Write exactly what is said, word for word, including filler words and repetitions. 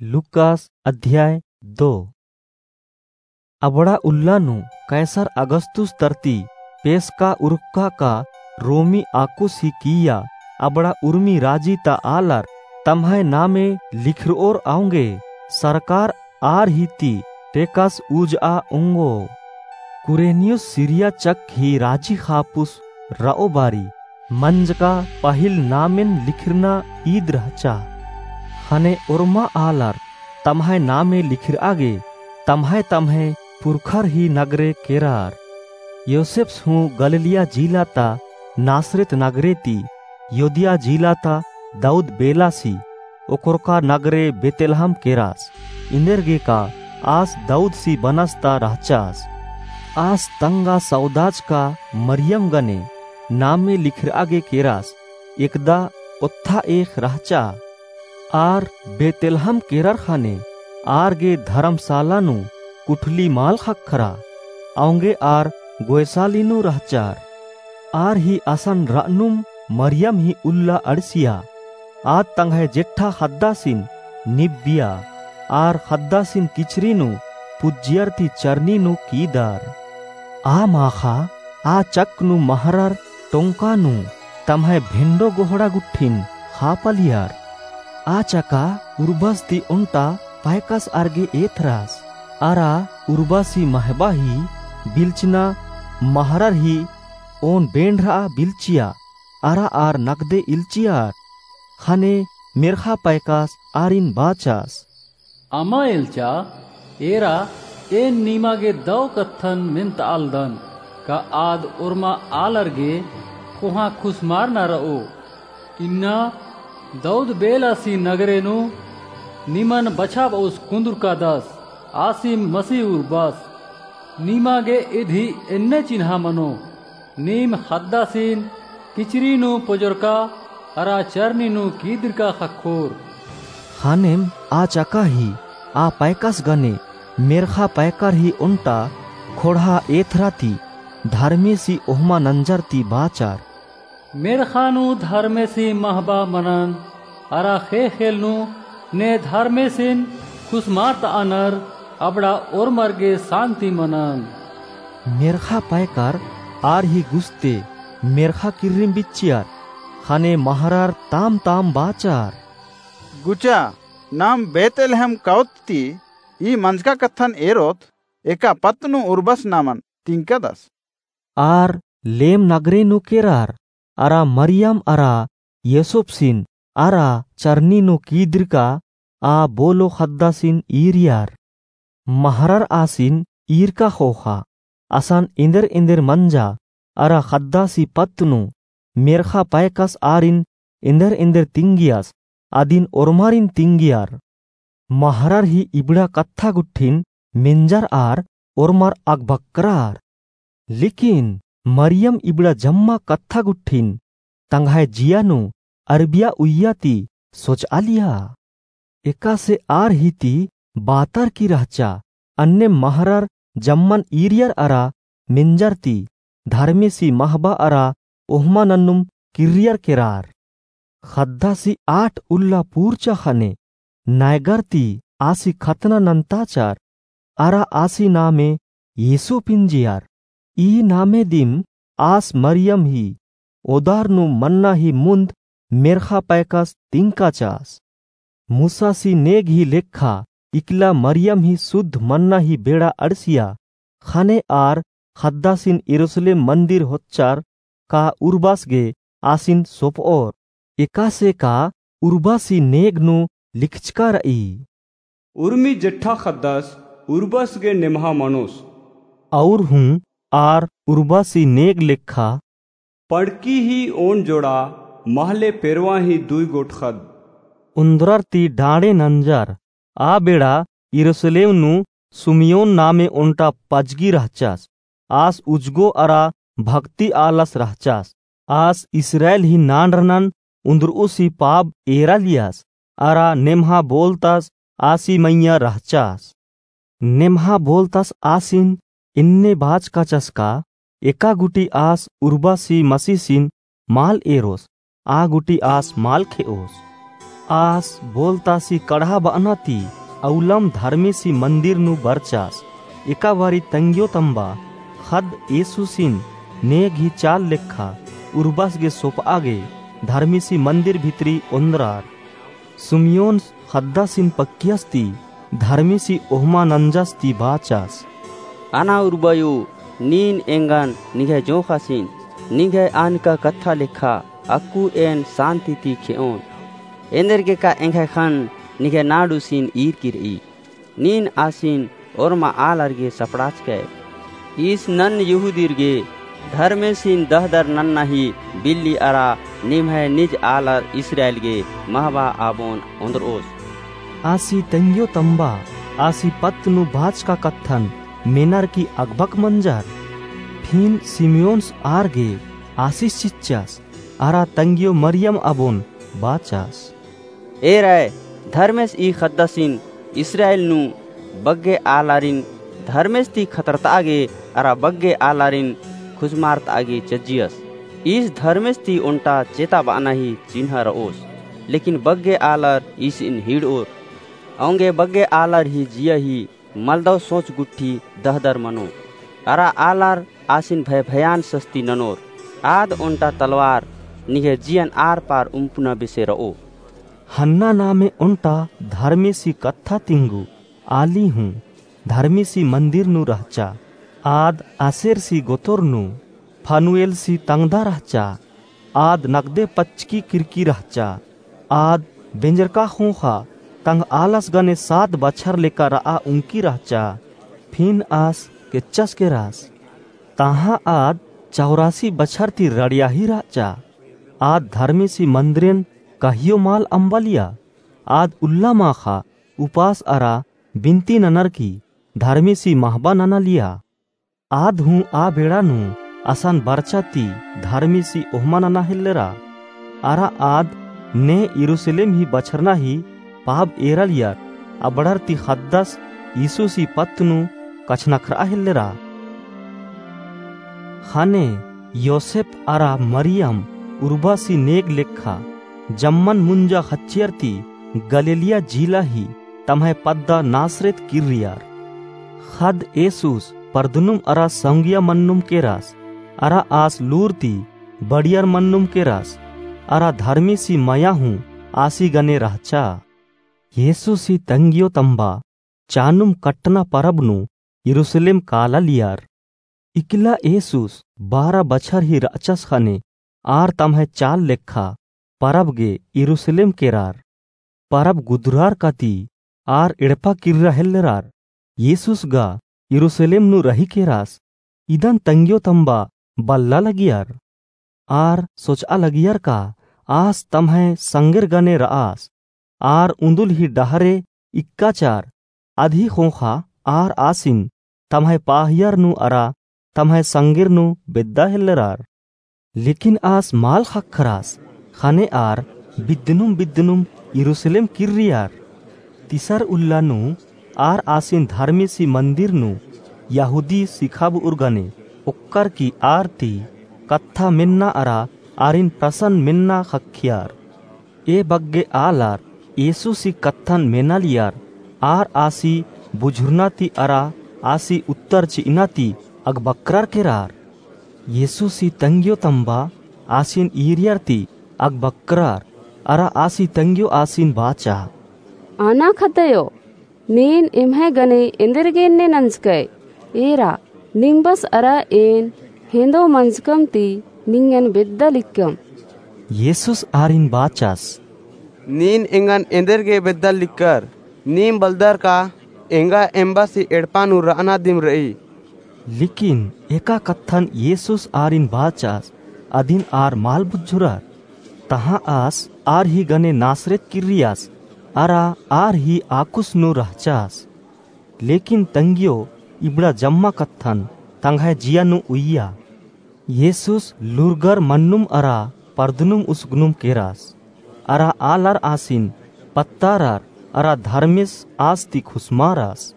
लूकास अध्याय दो। अबड़ा उल्ला नू कैसर अगस्तुस तरती पेसका उरुक्का का रोमी आकुस ही किइय्या अबड़ा उर्मी राजी ता आलर तम्है नामे लिखरओर औंगे सरकार आर ही ती टेकस ऊजआ ओंगो। कुरेनियुस सीरिया चक ही राजी ख़ापुस रओ बारी मंजका पहिल नामेन लिखरना ईद रहचा। ख़ने ओर्मा आलर तम्है नामे लिखरआ गे तम्है तम्है पुरखर ही नगरे केरर। योसेप्स हूँ गलीलिया जिला ता नासरेत नगरे ती योदिया जिला ता दाऊद बेलासी ओकरका नगरे बेतलहम केरस। इन्देरगे का आस दाऊदसी बनस ता रहचस। आस तंगआ सौदाचका मरियम गने नामे लिखरआ गे केरस। एकदा ओत्था एख़ रहचा। आर बेतलहम केरर ख़ने आर गे धरमसाला नू कुठली मल ख़क्खरा। औंगे आर गोयसाली नू रहचर। आर ही असन रअनुम मरियम ही उल्ला अंड़सिया। आद तंग्है जेठा ख़द्दासिन निबिया। आर ख़द्दासिन किचरी नू पुज्जियर ती चरनी नू कीदर। आ माख़ा आ चक नू महरर टोंका नू तम्है भेंडो गोहड़ा गुट्ठिन ख़ापलियर। आ चका उर्बस ती ओन्टा पैकस आर गे एथरस। अरा उर्बसी महबा ही बिल्चना महरर ही ओन बेंड़रआ बिल्चिया। अरा आर नकदे इल्चियर। ख़ने मेर्ख़ा पैकस आरिन बाचस। अमा एल्चा, एरा एन नीमा गे दौ कत्थन मेन्तआलदन, का आद ओर्मा आलर गे कोहाँ खुसमारना रओ। इन्ना दाऊद बेलासी नगरे नू निमन बछाबउस कुन्दुरकादस, आसिम मसीह उर्बस। नीमा गे इदी एन्ने चिन्हा मनो, नीम ख़द्दासिन किचरी नू पोजरका अरा चरनी नू कीदिरका ख़क्खोर। ख़नेम आ चका ही आ पैकस गने मेर्ख़ा पैकर ही ओन्टा ख़ोंड़हा एथरा ती धर्मेसी ओहमा नंजर ती बाचर। मेर्ख़ा नू धर्मेसी महबा मनन, अरा ख़ेख़ेल नू ने धर्मेसिन खुसमारतअनर अबड़ा ओर्मर गे सान्ति मनन। मेर्ख़ा पैकर आर ही गुस्ते मेर्ख़ा किर्रिम बिच्चियर, ख़ने महरर ताम ताम बाचर। गुचा, नाम बेतलहम कौत ती ई मंजका कत्थन एरोत, एका पत्त नू उर्बस नामन तिंकदस। आर लेम नगरे नू केरर, अरा मरियम अरा यूसुफसिन अरा चरनी नू कीदिरका आ बोलो ख़द्दासिन ईरियर। महरर आसिन ईरका ख़ोख़ा, असन एन्देर एन्देर मंजा, अरा ख़द्दासी पत्त नू मेर्ख़ा पैकस आरिन एन्देर एन्देर तिंगियस, अदिन ओर्मारिन तिंगियर। महरर ही इबड़ा कत्था गुट्ठिन मेंजर आर ओर्मर अगबक्करर। लेकिन मरियम इबड़ा जम्मा कत्था गुट्ठिन तंग्है जिया नू अरबिया उइया ती सोचआलिया। एकासे आर ही ती बातर की रहचा, अन्ने महरर जम्मन ईरियर अरा मेंजर ती धर्मेसी महबा अरा ओहमा नन्नुम किर्रियर केरर। ख़द्दासी आठ उल्ला पूरचा ख़ने नैगर ती आसी खतना नन्ताचर, अरा आसी नामे येसु पिंजियर। ई नामे दिम आस मरियम ही ओदार नू मन्ना ही मुन्द मेर्ख़ा पैकस तिंकाचस। मूसासी नेग ही लेखा इकला मरियम ही सुद्ध मन्ना ही बेड़ा अंड़सिया। ख़ने आर ख़द्दासिन यरूसलेम मन्दिर होच्चर का उर्बस गे आसिन सोपओर। एकासे का उर्बसी नेग नू लिखचका रई। उर्मी जेठा ख़द्दस उर्बस गे नेम्हा मनोस। और हूँ आर उर्बसी नेग लेखा पड़की ही ओन जोड़ा महले पेरवा ही दुई गोट ख़द्द। उन्द्रर ती डाँड़े नंजर। आ बेड़ा यरूसलेम नू सुमियोन नामे ओन्टा पजगी रहचस। आस उजगो अरा भक्ति आलस रहचस। आस इस्राएल ही नांड़रनन उन्द्रउसी पाब एरालियस, अरा नेम्हा बोलतस आसी मइय्याँ रहचस। नेम्हा बोलतस आसिन इन्ने बाचकाचस का एका गुटी आस उर्बसी मसीसिन मल एरोस, आ गुटी आस मल खेओस। आस बोलतासी कड़हा बअना ती अउलम धर्मेसी मंदिर नू बरचास। एका बारी तंग्यो तम्बा ख़द्द येसुसिन नेग ही चाल लेखा उर्बस गे सोपआ गे धर्मेसी मंदिर भितरी ओन्द्रर। सिमियोन ख़द्दासिन पक्कियस ती धर्मेसी ओहमा नंजस ती बाचस। अना उर्बायो, नीन एंगन निंग्है जोंख़ासिन निंग्है आनका कत्था लेखा अक्कु एन सान्ति ती खेओन। एन्देरगेका एंग्है ख़न्न निंग्है नाड़ुसिन ईरकी रई। नीन आसिन ओर्मा आलर गे सपड़ाचकय। ईस नन्न यहूदीर गे धर्मेसिन दहदर नन्ना ही बिल्ली अरा निम्है निज आलर इस्राएल गे महबा आबोन ओन्द्रओस। आसी तंग्यो तम्बा आसी पत्त नू बाचका कत्थन मेनर की अगबक मंजर। फिन सिमियोन्स आर गे आसिस चिच्चस अरा तंग्यो मरियम आबोन बाचस। एरय, धर्मेस ई ख़द्दासिन इस्राएल नू बग्गे आलारिन धर्मेस ती खतरतआ गे अरा बग्गे आलारिन खुसमारतआ गे चज्जियस। ईस धर्मेस ती ओन्टा चेता बअना ही चिन्हा रओस, लेकिन बग्गे आलर ईसिन हिड़ओर। औंगे बग्गे आलर ही जिया ही मलदव सोच गुट्ठी दहदर मनो। अरा आलर आसिन भय भयान सस्ती ननोर। आद ओन्टा तलवार निंग्है जियन आर पार उम्पुना बेसे रओ। हन्ना नामे ओन्टा धर्मेसी कत्था तिंगु आली हूँ धर्मेसी मंदिर नू रहचा। आद आसेरसी गोतोर नू फनुएलसी तंगदा रहचा। आद नगदे पच्चकी किरकी रहचा। आद बेंजरका ख़ोख़ा तंग आलस गने सात बछर लेका रआ उंकी रहचा। फिन आस केच्चस केरस। तहाँ आद चौरासी बछर ती रड़ियाही रहचा। आद धर्मेसी मंदिरेन कहियो माल अम्बालिया। आद उल्ला माख़ा उपास अरा बिनती ननर की धर्मेसी महबा ननालिया। आद हूँ आ बेड़ा नू असन बरचा ती धर्मेसी ओहमा नना हेल्लरा। अरा आद ने यरूसलेम ही बछरना ही पाब एरालियर अबड़र ती ख़द्दस यीशुसी पत्त नू कछनखरआ हेल्लरा। ख़ने योसेप अरा मरियम उर्बासी नेग लेखा जम्मन मुंजा ख़च्चियर ती गलीलिया जिला ही तम्है पद्दा नासरेत किर्रियर। ख़द्द येसुस परदनुम अरा सौंगिया मन्नुम केरस, अरा आस लूर ती बड़ियर मन्नुम केरस, अरा धर्मेसी मया हूँ आसी गने रहचा। येसुसी तंग्यो तम्बा चानुम कट्टना परब नू यरूसलेम कालालियर। इकला येसुस बारा बछर ही रहचस ख़ने आर तम्है चाल लेखा परब गे यरूसलेम केरर। परब गुदरार का ती आर एड़पा किर्रा हेल्लरर। येसुस गा यरूसलेम नू रही केरस। इदन तंग्यो तम्बा बल्ला लगियर। आर सोचआ लगियर का आस तम्है संगेर गने रअस। आर उन्दुल ही डहरे इक्काचर अदही ख़ोख़ा आर आसिन तम्है पाहियर नू अरा तम्है संगेर नू बेद्दा हेल्लरर। लेकिन आस माल ख़क्खरस ख़ने आर बिद्दनुम बिद्दनुम यरूसलेम किर्रियर। तिसर उल्ला नू आर आसिन धर्मेसी मंदिर नू यहूदी सिखाबउर गने ओक्कर की आर ती कत्था मेन्ना अरा आरिन प्रसन्न मेन्ना ख़क्खियर। ए बग्गे आलर येसुसी कत्थन मेनालियर आर आसी बुझुरना ती अरा आसी उत्तर चिअना ती अगबक्करर केरर। येसुसी तंग्यो तम्बा आसिन ईरियर ती अगबक्करर अरा आसी तंग्यो आसिन बाचा। अना ख़द्दयो, नीन एम्है गने एन्देरगे एन्ने नंजकय? एरा, निम्बस अरा एन हेंदो मंजकम ती निंगन बेद्दा लिक्कम। येसुस आरिन बाचस। नीन एंगन एन्देरगे बेद्दा लिक्कर? नीम बलदर का एंगा एम्बासी एड़पा नू रअना दिम रई। लेकिन एका कत्थन येसुस आरिन बाचस अदिन आर माल बुझुरर। तहाँ आस आर ही गने नासरेत किर्रियस अरा आर ही आकुस नू रहचस। लेकिन तंग्यो इबड़ा जम्मा कत्थन तंग्है जिया नू उइया। येसुस लूरगर मन्नुम अरा परदनुम उसगनुम केरस अरा आलर आसिन पत्तारर अरा धर्मेस आस ती खुसमारस।